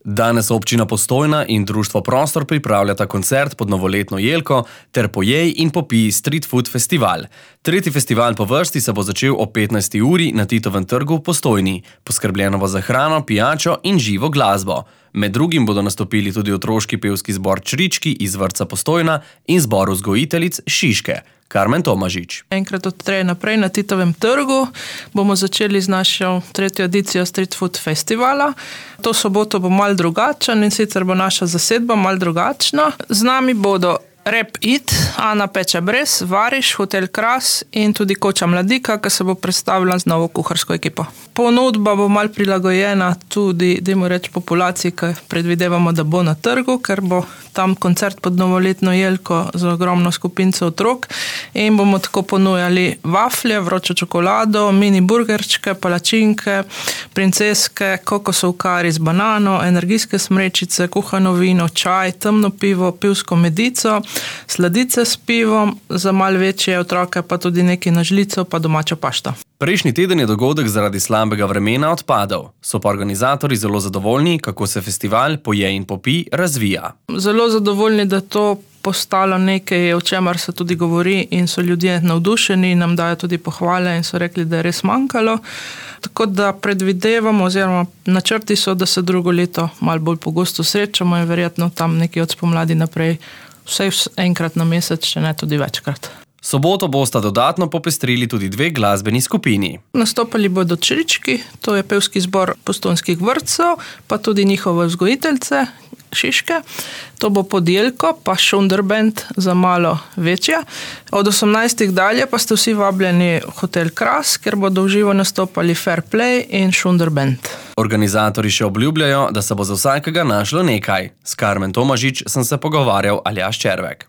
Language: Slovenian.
Danes občina Postojna in društvo Prostor pripravljata koncert pod novoletno jelko ter Pojej in popij Street Food Festival. Tretji festival po vrsti se bo začel ob 15. uri na Titovem trgu v Postojni. Poskrbljeno bo za hrano, pijačo in živo glasbo. Med drugim bodo nastopili tudi otroški pevski zbor Črički iz vrtca Postojna in zbor vzgojiteljic Šiške. Karmen Tomažič. Enkrat od 3 naprej na Titovem trgu bomo začeli z našo 3. edicijo Street Food Festivala. To soboto bo malo drugačen in sicer bo naša zasedba malo drugačna. Z nami bodo Rap It, Ana Peče Brez, Variš, Hotel Kras in tudi Koča Mladika, ki se bo predstavila z novo kuharsko ekipo. Ponudba bo malo prilagojena tudi, dajmo reči, populaciji, ki predvidevamo, da bo na trgu, ker bo tam koncert pod novoletno jelko za ogromno skupinco otrok in bomo tako ponujali vaflje, vročo čokolado, mini burgerčke, palačinke, princeske, kokosov kari z banano, energijske smrečice, kuhano vino, čaj, temno pivo, pivsko medico, sladice s pivom, za malo večje otroke pa tudi nekaj na žlico pa domačo pašto. Prejšnji teden je dogodek zaradi slabega vremena odpadel. So pa organizatorji zelo zadovoljni, kako se festival Pojej in popij razvija. Zelo zadovoljni, da to postalo nekaj, o čemer se tudi govori in so ljudje navdušeni, nam dajo tudi pohvale in so rekli, da je res manjkalo. Tako da predvidevamo oziroma načrti so, da se drugo leto malo bolj pogosto srečamo in verjetno tam nekaj od spomladi naprej vsaj enkrat na mesec, če ne tudi večkrat. Soboto bosta dodatno popestrili tudi 2 glasbeni skupini. Nastopali bodo Črički, to je pevski zbor postojnskih vrtcev, pa tudi njihove vzgojiteljice Šiške. To bo pod jelko, pa Šunderband za malo večja. Od 18. dalje pa ste vsi vabljeni v Hotel Kras, ker bodo v živo nastopali Fair Play in Šunderband. Organizatorji še obljubljajo, da se bo za vsakega našlo nekaj. S Karmen Tomažič sem se pogovarjal Aljaž Červek.